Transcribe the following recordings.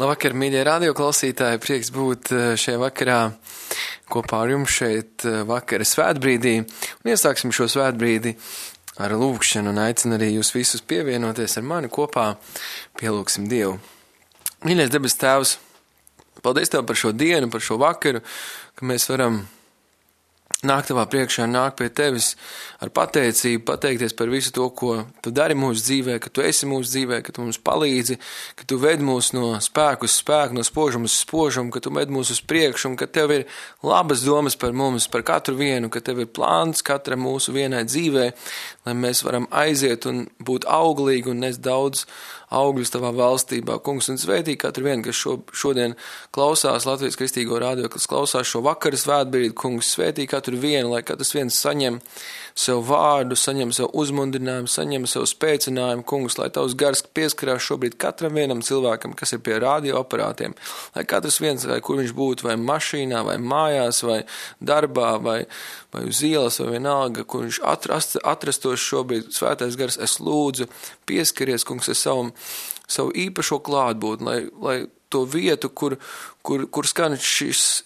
Labvakar, mīļie radioklausītāji, prieks būt šajā vakarā kopā ar jums šeit vakara svētbrīdī. Un iesāksim šo svētbrīdi ar lūgšanu un aicinu arī jūs visus pievienoties ar mani kopā. Pielūgsim Dievu. Mīļais debes Tēvs, paldies Tev par šo dienu, par šo vakaru, ka mēs varam nāk Tavā priekšā, nāk pie Tevis ar pateicību, pateikties par visu to, ko Tu dari mūsu dzīvē, ka Tu esi mūsu dzīvē, ka Tu mums palīdzi, ka Tu ved mūs no spēku uz spēku, no spožuma uz spožumu, ka Tu ved mūs uz priekšu un ka Tev ir labas domas par mums, par katru vienu, ka Tev ir plāns katra mūsu vienai dzīvē, lai mēs varam aiziet un būt auglīgi un nest daudz augļus Tavā valstībā. Kungs, un svētī katru vienu, kas šodien klausās Latvijas Kristīgo radio, kas klausās šo vakaru svētbrīdi, Kungs, svētī katru vienu, lai katrs viens saņem sev vārdu, saņem sev uzmundrinājumu, saņem sev spēcinājumu, Kungs, lai Tavs gars pieskarās šobrīd katram vienam cilvēkam, kas ir pie radioaparātiem, lai katrs viens, vai kur viņš būtu, vai mašīnā, vai mājās, vai darbā, vai uz ielas, vai vienalga, kur viņš atrastos šobrīd, svētais gars, es lūdzu, pieskaries, Kungs, ar savu īpašo klātbūtni, lai to vietu, kur skan šis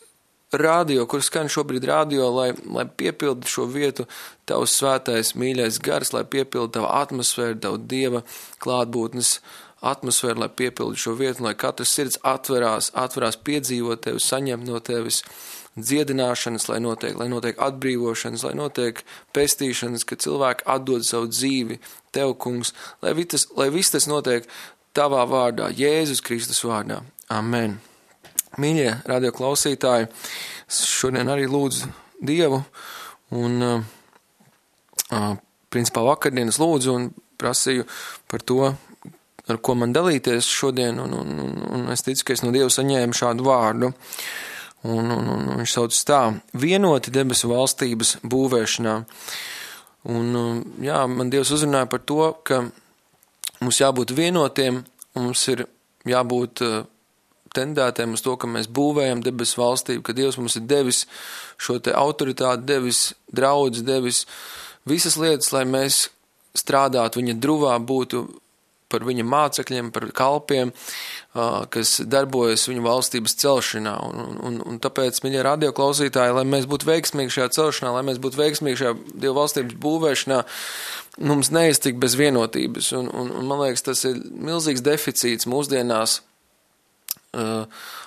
radio, kur skan šobrīd radio, lai piepildu šo vietu Tavs svētais mīļais gars, lai piepildu Tavu atmosfēru, Tavu Dieva klātbūtnes atmosfēru, lai piepildu šo vietu, lai katrs sirds atverās piedzīvot Tevi, saņemt no Tevis dziedināšanas, lai notiek atbrīvošanas, lai notiek pestīšanas, ka cilvēki atdod savu dzīvi Tev, Kungs, lai viss tas notiek Tavā vārdā, Jēzus Kristus vārdā. Amen. Mīļie radioklausītāji, šodien arī lūdzu Dievu un principā vakardienas lūdzu un prasīju par to, ar ko man dalīties šodien, un es ticu, ka es no Dieva saņēmu šādu vārdu. Un viņš sauc tā: vienoti debesu valstības būvēšanā. Un jā, man Dievs uzrunāja par to, ka mums jābūt vienotiem, mums ir jābūt tendētiem uz to, ka mēs būvējam debesu valstību, ka Dievs mums ir devis šo te autoritāti, devis draudz, devis visas lietas, lai mēs strādātu viņa druvā, būtu par viņa mācekļiem, par kalpiem, kas darbojas viņa valstības celšanā. Un tāpēc, mīļie radioklausītāji, lai mēs būtu veiksmīgi šajā celšanā, lai mēs būtu veiksmīgi šajā Dieva valstības būvēšanā, mums neiztikt bez vienotības. Un man liekas, tas ir milzīgs deficīts mūsdienās,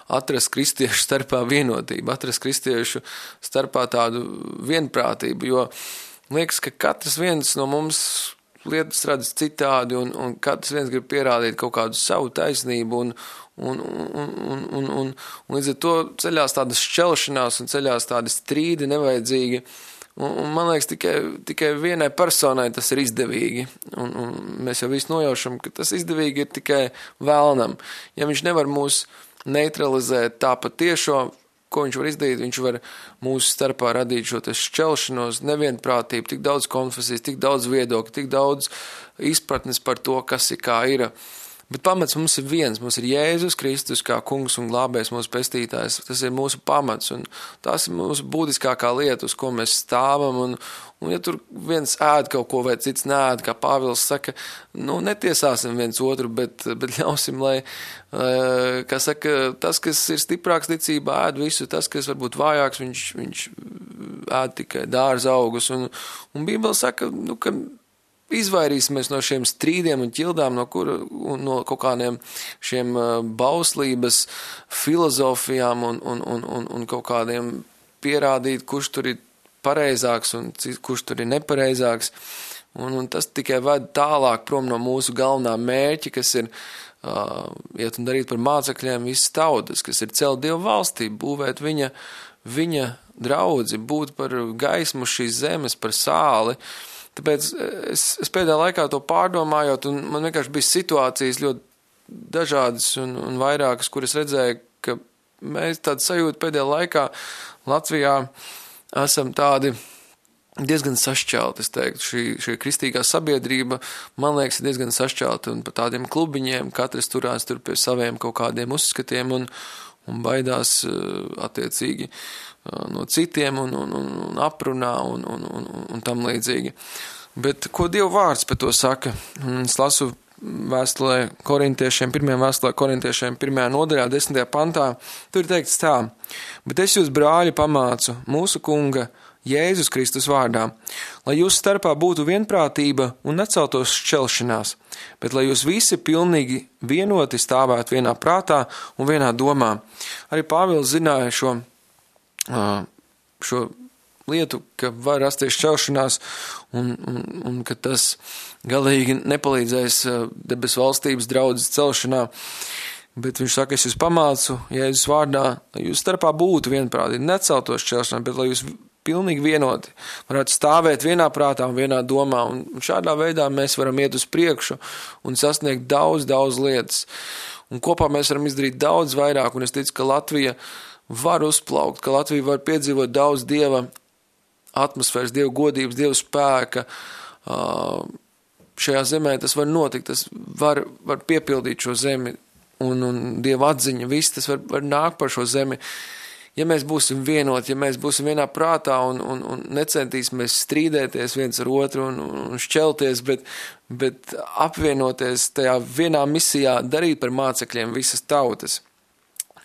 atrast kristiešu starpā vienotību, atrast kristiešu starpā tādu vienprātību, jo liekas, ka katrs viens no mums lietas redz citādi un katrs viens grib pierādīt kaut kādu savu taisnību un līdz ar to ceļās tādas šķelšanās un ceļās tādi strīdi nevajadzīgi. Un man liekas, tikai vienai personai tas ir izdevīgi. Un mēs jau visi nojaušam, ka tas izdevīgi ir tikai vēlnam. Ja viņš nevar mūs neutralizēt tā patiešo, ko viņš var izdarīt, viņš var mūsu starpā radīt šo šķelšanos, nevienprātību, tik daudz konfesijas, tik daudz viedokļu, tik daudz izpratnes par to, kas ir kā ir. Bet pamats mums ir viens, mums ir Jēzus Kristus kā kungs un glābējs, mūsu pestītājs. Tas ir mūsu pamats un tās ir mūsu būtiskākā lieta, uz ko mēs stāvam. Un ja tur viens ēd kaut ko vai cits neēd, kā Pāvils saka, netiesāsim viens otru, bet ļausim, lai, kā saka, tas, kas ir stiprāks ticībā, ēd visu, tas, kas varbūt vājāks, viņš ēd tikai dārza augus. Un Bībele saka, ka izvairīsimies no šiem strīdiem un ķildām, no kaut kādiem šiem bauslības filozofijām un kaut kādiem pierādīt, kurš tur ir pareizāks un kurš tur ir nepareizāks. Un tas tikai ved tālāk prom no mūsu galvenā mērķa, kas ir iet un darīt par mācekļiem visas tautas, kas ir celt Dievu valstību, būvēt viņa draudzi, būt par gaismu šīs zemes, par sāli. Tāpēc es pēdējā laikā to pārdomājot, un man vienkārši bija situācijas ļoti dažādas un vairākas, kuras redzēju, ka mēs tādu sajūtu pēdējā laikā Latvijā esam tādi diezgan sašķelti, es teiktu. Šī kristīgā sabiedrība, man liekas, ir diezgan sašķelta, un pa tādiem klubiņiem katrs turās tur pie saviem kaut kādiem uzskatiem un baidās attiecīgi no citiem un aprunā un tam līdzīgi. Bet ko Dieva vārds par to saka? Es lasu vēstulē korintiešiem, 1. nodaļā, 10. pantā, tur ir teikts tā: bet es jūs, brāļi, pamācu mūsu Kunga Jēzus Kristus vārdā, lai jūsu starpā būtu vienprātība un neceltos šķelšanās, bet lai jūs visi pilnīgi vienoti stāvētu vienā prātā un vienā domā. Arī Pāvils zināja šo lietu, ka var rasties šķelšanās un ka tas galīgi nepalīdzēs debesu valstības draudzes celšanā. Bet viņš saka, es jūs pamācu Jēzus vārdā, lai jūs starpā būtu vienprātīgi, neceltos šķelšanās, bet lai jūs pilnīgi vienoti varētu stāvēt vienā prātā un vienā domā. Un šādā veidā mēs varam iet uz priekšu un sasniegt daudz lietas. Un kopā mēs varam izdarīt daudz vairāk, un es ticu, ka Latvija var uzplaukt, ka Latvija var piedzīvot daudz Dieva atmosfēras, Dieva godības, Dieva spēka. Šajā zemē tas var notikt, tas var piepildīt šo zemi, un Dieva atziņa, viss tas var nākt par šo zemi. Ja mēs būsim vienoti, ja mēs būsim vienā prātā un necentīsimies strīdēties viens ar otru un šķelties, bet apvienoties tajā vienā misijā, darīt par mācekļiem visas tautas.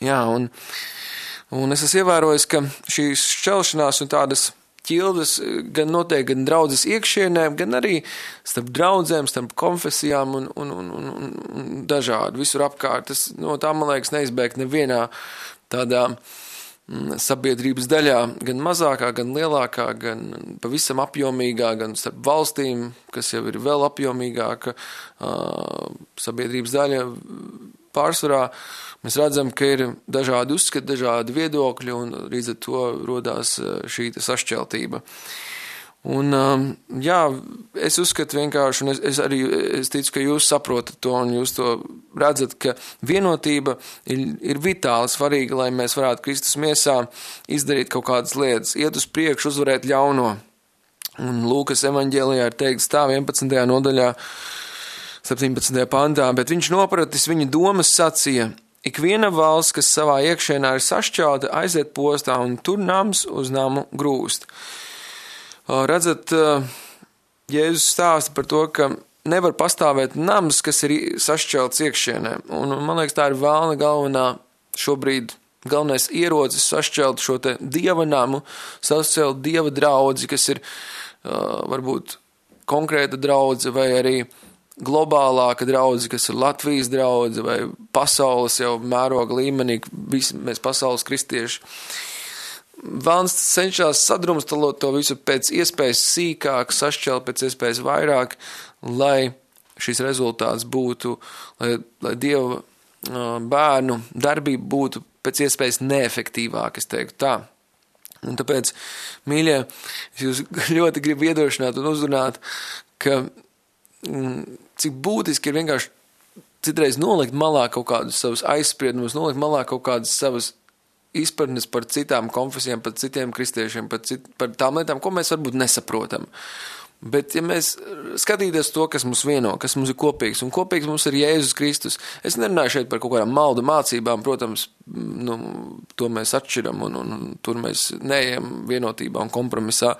Jā, un es esmu ievērojis, ka šīs šķelšanās un tādas ķildes gan notiek gan draudzes iekšienē, gan arī starp draudzēm, starp konfesijām un dažādi, visur apkārt. Tas no tā, man liekas, neizbēgt nevienā tādā sabiedrības daļā, gan mazākā, gan lielākā, gan pavisam apjomīgā, gan starp valstīm, kas jau ir vēl apjomīgāka sabiedrības daļa. Pārsvarā mēs redzam, ka ir dažādi uzskati, dažādi viedokļi, un līdz ar to rodās šī sašķeltība. Un, jā, es uzskatu vienkārši, un es ticu, ka jūs saprotat to, un jūs to redzat, ka vienotība ir vitāli svarīga, lai mēs varētu Kristus miesā izdarīt kaut kādas lietas, iet uz priekšu, uzvarēt ļauno. Un Lūkas evaņģēlijā ir teikts tā 11. nodaļā, 17. pantā, bet viņš nopratis viņa domas sacīja: ikviena valsts, kas savā iekšienā ir sašķelta, aiziet postā, un tur nams uz namu grūst. Redzat, Jēzus stāsta par to, ka nevar pastāvēt nams, kas ir sašķelts iekšienē. Un man liekas, tā ir vēlna galvenais ierocis sašķelt šo te Dieva namu, sašķelt Dieva draudzi, kas ir varbūt konkrēta draudze vai arī globālāka draudze, kas ir Latvijas draudze vai pasaules jau mēroga līmenī, visi mēs pasaules kristieši. Vēlns cenšas sadrumstalot to visu pēc iespējas sīkāk, sašķelt pēc iespējas vairāk, lai šis rezultāts būtu, lai Dieva bērnu darbība būtu pēc iespējas neefektīvāk, es teiktu tā. Un tāpēc, mīļie, es jūs ļoti gribu iedrošināt un uzrunāt, ka cik būtiski ir vienkārši citreiz nolikt malā kaut kādus savus aizspriedumus, nolikt malā kaut kādas savas izpratnes par citām konfesijām, par citiem kristiešiem, par tām lietām, ko mēs varbūt nesaprotam. Bet ja mēs skatīties to, kas mums vieno, kas mums ir kopīgs, un kopīgs mums ir Jēzus Kristus, es nerunāju šeit par kaut kādām maldu mācībām, protams, to mēs atšķiram un tur mēs neejam vienotībā un kompromisā,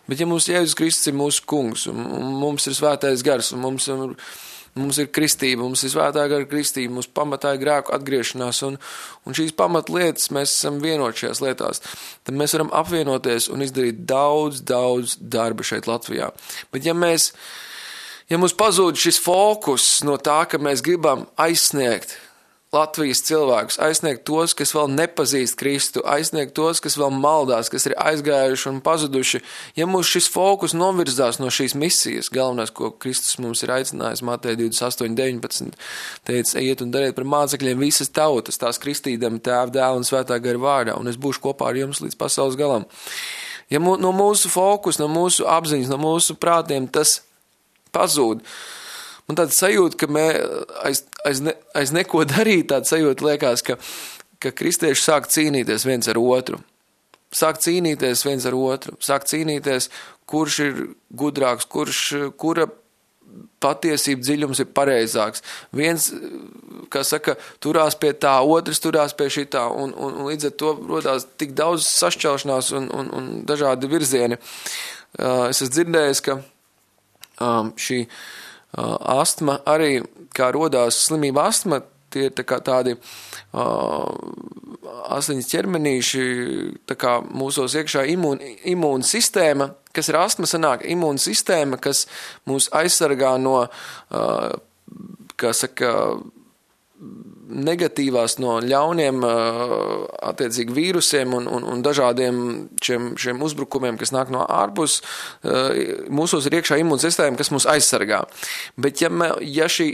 bet ja mums Jēzus Kristus ir mūsu kungs, un mums ir svētais gars, un mums ir kristība, mums ir svētā gara kristība, mums pamatā ir grēku atgriešanās, un šīs pamatlietas mēs esam vienoti šajās lietās. Tad mēs varam apvienoties un izdarīt daudz darba šeit Latvijā. Bet ja mums pazūd šis fokus no tā, ka mēs gribam aizsniegt Latvijas cilvēkus, aizsniegt tos, kas vēl nepazīst Kristu, aizsniegt tos, kas vēl maldās, kas ir aizgājuši un pazuduši, ja mums šis fokus novirzās no šīs misijas, galvenais, ko Kristus mums ir aicinājis, Mateja 28:19, teica, iet un dariet par mācekļiem visas tautas, tās kristīdami Tēva, Dēla un Svētā gara vārdā, un es būšu kopā ar jums līdz pasaules galam. Ja no mūsu fokus, no mūsu apziņas, no mūsu prātiem tas pazūd, man tāda sajūta, ka aiz neko darīt, tāda sajūta liekas, ka kristieši sāk cīnīties viens ar otru. Sāk cīnīties viens ar otru. Sāk cīnīties, kurš ir gudrāks, kura patiesība dziļums ir pareizāks. Viens, kā saka, turās pie tā, otrs turās pie šitā, un līdz ar to rodās tik daudz sašķelšanās un dažādi virzieni. Es esmu dzirdējis, ka šī astma arī, kā rodās slimība astma, tie ir tādi asiņas ķermenīši, tā kā mūsos iekšā imūna sistēma, kas ir astma sanāk, imūna sistēma, kas mūs aizsargā no, kā saka, negatīvās no ļauniem attiecīgi vīrusiem un dažādiem šiem uzbrukumiem, kas nāk no ārpus. Mūsos ir iekšā imūna sistēma, kas mūs aizsargā. Bet ja šī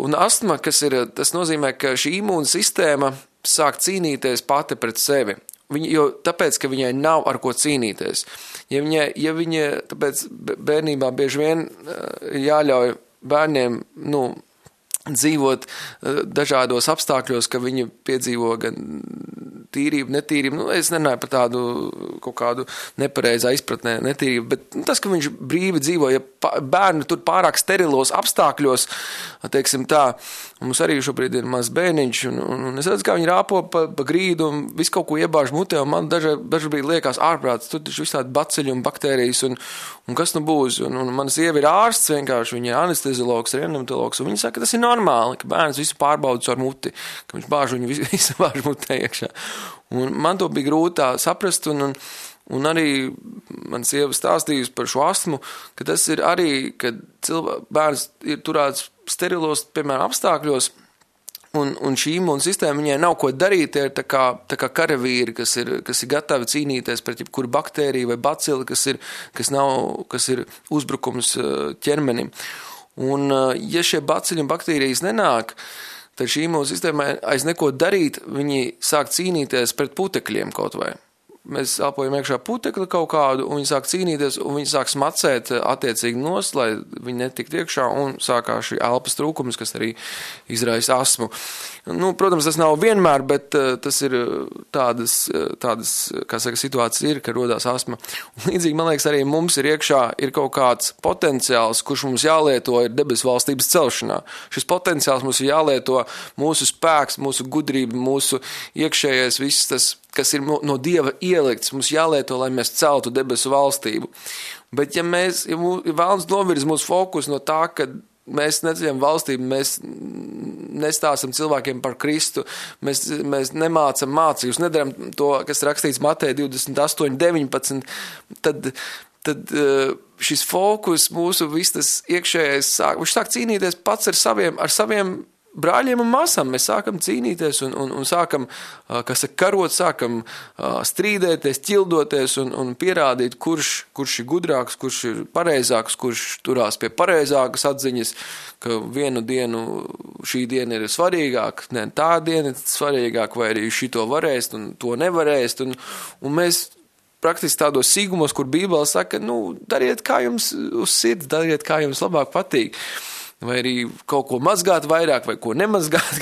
un astma, tas nozīmē, ka šī imūna sistēma sāk cīnīties pati pret sevi. Tāpēc, ka viņai nav ar ko cīnīties. Ja viņa tāpēc bērnībā bieži vien jāļauj bērniem, dzīvot dažādos apstākļos, ka viņi piedzīvo gan tīrību, netīrību. Es nerunāju par tādu kaut kādu nepareizā izpratnē netīrību, bet tas, ka viņš brīvi dzīvo, ja bērni tur pārāk sterilos apstākļos, teiksim tā, mums arī šobrīd ir maz bērniņš, un es redzu, kā viņi rāpo pa grīdu un visu kaut ko iebāž mutē, un man dažbrīd liekas ārprāts, tur taču visādi baciļi un baktērijas, un kas nu būs, un mana sieva ir ārsts vienkārši, viņa ir anesteziologs, reanimatologs, un viņa saka, ka tas ir normāli, ka bērns visu pārbauda caur muti, ka viņš bāž viņu visu bāž mutē iekšā. Un man to bija grūti tā saprast, un arī man sieva stāstījusi par šo astmu, ka tas ir arī, kad bērns ir turēts sterilos, piemēram, apstākļos, un šī imūna sistēma viņai nav ko darīt, ir tā kā karavīri, kas ir gatavi cīnīties pret jebkuru baktēriju vai bacili, kas ir uzbrukums ķermenim. Un ja šie bacili un baktērijas nenāk, tad šī imūna sistēma aiz neko darīt, viņi sāk cīnīties pret putekļiem kaut vai. Mēs elpojam iekšā putekli kaut kādu, un viņi sāk cīnīties, un viņi sāk smacēt attiecīgi nost, lai viņi netiktu iekšā, un sākās šī elpas trūkums, kas arī izraisa astmu. Protams, tas nav vienmēr, bet tas ir tādas, kā saka, situācijas ir, ka rodās astma. Un līdzīgi, man liekas, arī mums ir iekšā ir kaut kāds potenciāls, kurš mums jālieto ir debesu valstības celšanā. Šis potenciāls mums ir jālieto mūsu spēks, mūsu gudrība, mūsu iekšējais viss tas, kas ir no Dieva ielikts, mums jālieto, lai mēs celtu debesu valstību. Bet ja vēlams novirz mūsu fokus no tā, ka mēs neceļam valstību, mēs nestāstam cilvēkiem par Kristu, mēs nemācam mācības, nedaram to, kas rakstīts Mateja 28:19, tad šis fokus mūsu viss tas iekšējais viņš sāk cīnīties pats ar saviem brāļiem un māsām. Mēs sākam cīnīties un sākam, karot, sākam strīdēties, ķildoties un pierādīt, kurš ir gudrāks, kurš ir pareizāks, kurš turās pie pareizākas atziņas, ka vienu dienu šī diena ir svarīgāka, ne tā diena ir svarīgāka, vai arī šito varēst un to nevarēst. Un mēs praktiski tādos sīgumos, kur Bībele saka, dariet kā jums uz sirds, dariet kā jums labāk patīk. Vai arī kaut ko mazgāt vairāk, vai ko nemazgāt,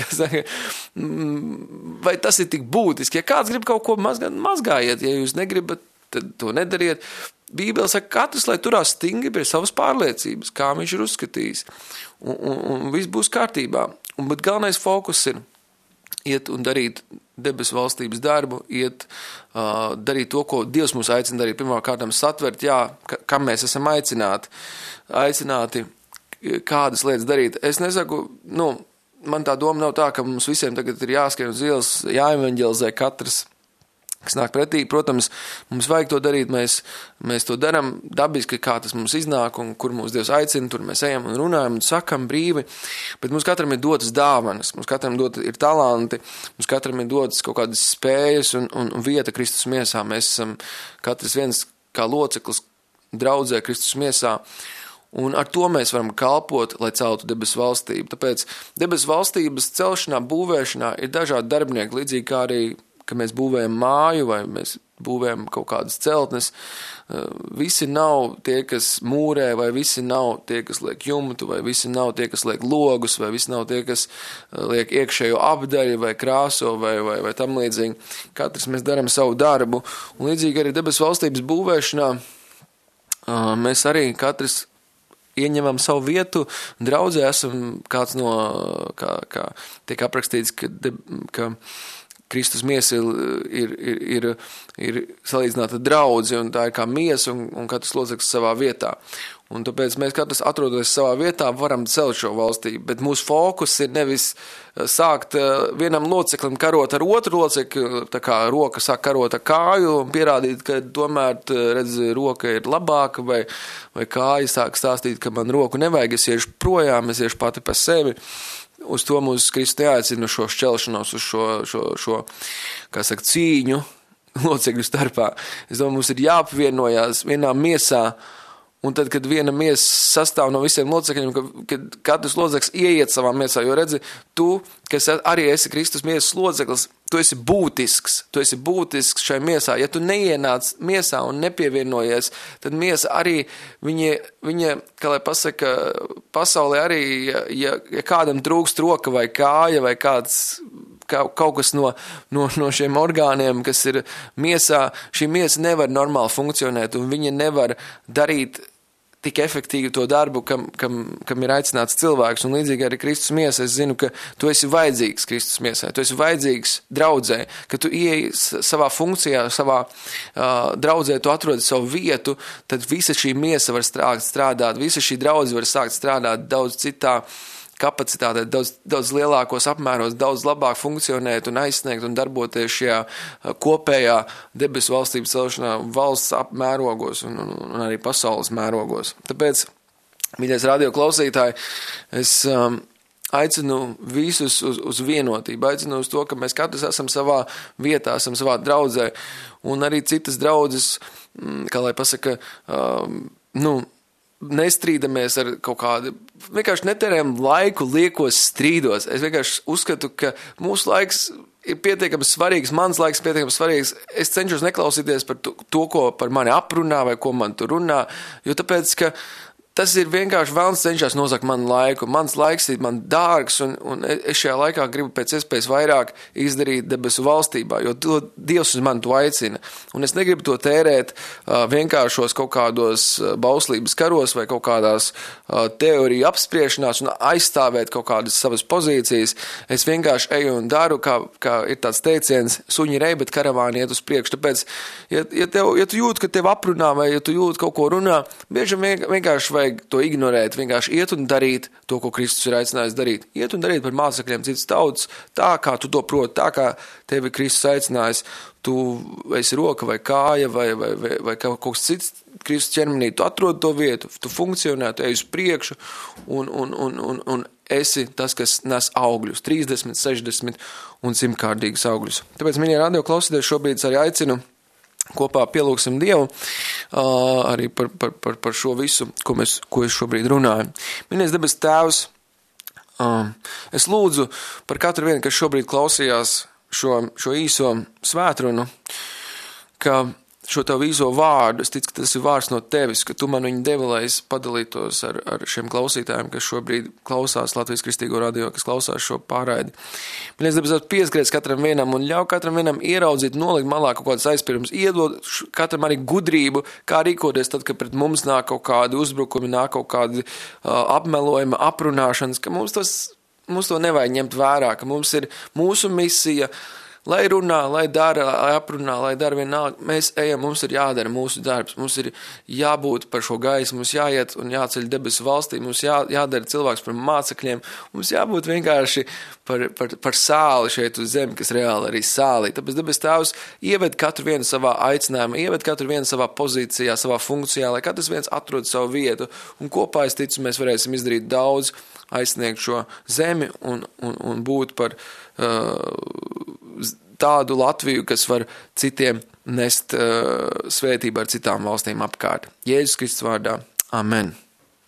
vai tas ir tik būtiski. Ja kāds grib kaut ko mazgāt, mazgājiet, ja jūs negribat, tad to nedariet. Bībele saka, katrs, lai turās stingri pie savas pārliecības, kā viņš ir uzskatījis, un viss būs kārtībā. Bet galvenais fokus ir iet un darīt debesu valstības darbu, darīt to, ko Dievs mūs aicina darīt. Pirmā kārtām satvert, kam mēs esam aicināti, kādas lietas darīt. Es nesaku, man tā doma nav tā, ka mums visiem tagad ir jāskrien uz ielas, jāevanģelizē katrs, kas nāk pretī. Protams, mums vajag to darīt, mēs to daram dabiski, kā tas mums iznāk un kur mūs Dievs aicina, tur mēs ejam un runājam un sakam brīvi, bet mums katram ir dotas dāvanas, mums katram ir talanti, mums katram ir dotas kaut kādas spējas un vieta Kristus miesā. Mēs esam katrs viens kā loceklis draudzē Kristus miesā. Un ar to mēs varam kalpot, lai celtu debesu valstību. Tāpēc debesu valstības celšanā, būvēšanā ir dažādi darbinieki, līdzīgi kā arī, ka mēs būvējam māju vai mēs būvējam kaut kādas celtnes. Visi nav tie, kas mūrē, vai visi nav tie, kas liek jumtu, vai visi nav tie, kas liek logus, vai visi nav tie, kas liek iekšējo apdaļu vai krāso vai tam līdzīgi. Katrs mēs daram savu darbu. Un līdzīgi arī debesu valstības būvēšanā mēs arī katrs ieņemam savu vietu, draudzē esam kāds no, kā tiek aprakstīts, ka Kristus miesa ir salīdzināta draudzi, un tā ir kā miesa, un katrs loceklis savā vietā. Un tāpēc mēs katrs atrodoties savā vietā varam celt šo valstību, bet mūsu fokus ir nevis sākt vienam loceklim karot ar otru locekli, tā kā roka sāk karot ar kāju un pierādīt, ka tomēr, redz, roka ir labāka, vai kāja sāk stāstīt, ka man roku nevajag, es iešu projām, es iešu pati pa sevi. Uz to mūs Kristus neaicina šo šķelšanos, uz šo kā saka, cīņu locekļu starpā. Es domāju, mums ir jāapvienojās vienā miesā, un tad, kad viena miesa sastāv no visiem locekļiem, kad katrs loceklis ieiet savā miesā, jo redzi, tu, kas arī esi Kristus miesas loceklis, tu esi būtisks šai miesā. Ja tu neienāc miesā un nepievienojies, tad miesa arī, viņa, kā lai pasaka, pasaulē arī, ja kādam trūkst roka vai kāja vai kaut kas no šiem orgāniem, kas ir miesā, šī miesa nevar normāli funkcionēt, un viņa nevar darīt tik efektīvi to darbu, kam ir aicināts cilvēks, un līdzīgi arī Kristus miesa. Es zinu, ka tu esi vajadzīgs Kristus miesai, tu esi vajadzīgs draudzē, ka tu ieej savā funkcijā, savā draudzē, tu atrodi savu vietu, tad visa šī miesa var strādāt, visa šī draudze var sākt strādāt daudz citā kapacitātē, daudz lielākos apmēros, daudz labāk funkcionēt un aizsniegt un darboties šajā kopējā debesu valstības celšanā valsts apmērogos un arī pasaules mērogos. Tāpēc, mīļais radio klausītāji, es aicinu visus uz vienotību, aicinu uz to, ka mēs katrs esam savā vietā, esam savā draudzē, un arī citas draudzes, kā lai pasaka, nestrīdamies ar kaut kādu, vienkārši netērējam laiku liekos strīdos. Es vienkārši uzskatu, ka mūsu laiks ir pietiekami svarīgs, mans laiks pietiekami svarīgs. Es cenšos neklausīties par to, ko par mani aprunā vai ko man tur runā, jo tāpēc, ka tas ir vienkārši vēlns cenšas nozakt manu laiku. Mans laiks ir man dārgs, un es šajā laikā gribu pēc iespējas vairāk izdarīt debesu valstībā, jo Dievs uz mani to aicina. Un es negribu to tērēt vienkāršos kaut kādos bauslības karos vai kaut kādās teoriju apspriešanās un aizstāvēt kaut kādas savas pozīcijas. Es vienkārši eju un daru, kā ir tāds teiciens, suņi rej, bet karavāni iet uz priekšu. Tāpēc, ja tu jūti, ka tev aprunā vai ja tu jūti kaut ko runā, bieži vienkārši vajag to ignorēt, vienkārši iet un darīt to, ko Kristus ir aicinājis darīt. Iet un darīt par mācekļiem citas tautas, tā kā tu to proti, tā kā tevi Kristus aicinājis, tu esi roka vai kāja vai kaut kas cits Kristus ķermenī, tu atrod to vietu, tu funkcionē, tu ej uz priekšu un esi tas, kas nes augļus, 30, 60 un 100-kārtīgus augļus. Tāpēc, mīļie radio klausītāji, šobrīd arī aicinu kopā pielūgsim Dievu arī par šo visu, ko es šobrīd runāju. Mīļais debes Tēvs, es lūdzu par katru vienu, kas šobrīd klausījās šo īso svētrunu, ka šo tavu īso vārdu, es ticu, ka tas ir vārds no tevis, ka tu man viņu devi, lai es padalītos ar šiem klausītājiem, kas šobrīd klausās Latvijas Kristīgo radio, kas klausās šo pārraidi. Mēs debes pieskrēs katram vienam un ļauj katram vienam ieraudzīt, nolikt malā kaut kādas aizpirums, iedod katram arī gudrību, kā rīkoties tad, kad pret mums nāk kaut kādi uzbrukumi, nāk kaut kādi apmelojumi, aprunāšanas, ka mums to nevajag ņemt vērā, ka mums ir mūsu misija, lai runā, lai dara, lai aprunā, lai dara vienalga, mēs ejam, mums ir jādara mūsu darbs, mums ir jābūt par šo gaisu, mums jāiet un jāceļ debesu valstī, mums jādara cilvēks par mācekļiem, mums jābūt vienkārši par sāli šeit uz zemi, kas reāli arī sālī. Tāpēc debes Tēvs ieved katru vienu savā aicinājumā, ieved katru vienu savā pozīcijā, savā funkcijā, lai katrs viens atrod savu vietu, un kopā, es ticu, mēs varēsim izdarīt daudz, aizsniegt šo zemi un būt par tādu Latviju, kas var citiem nest svētību ar citām valstīm apkārt. Jēzus Kristus vārdā. Amen.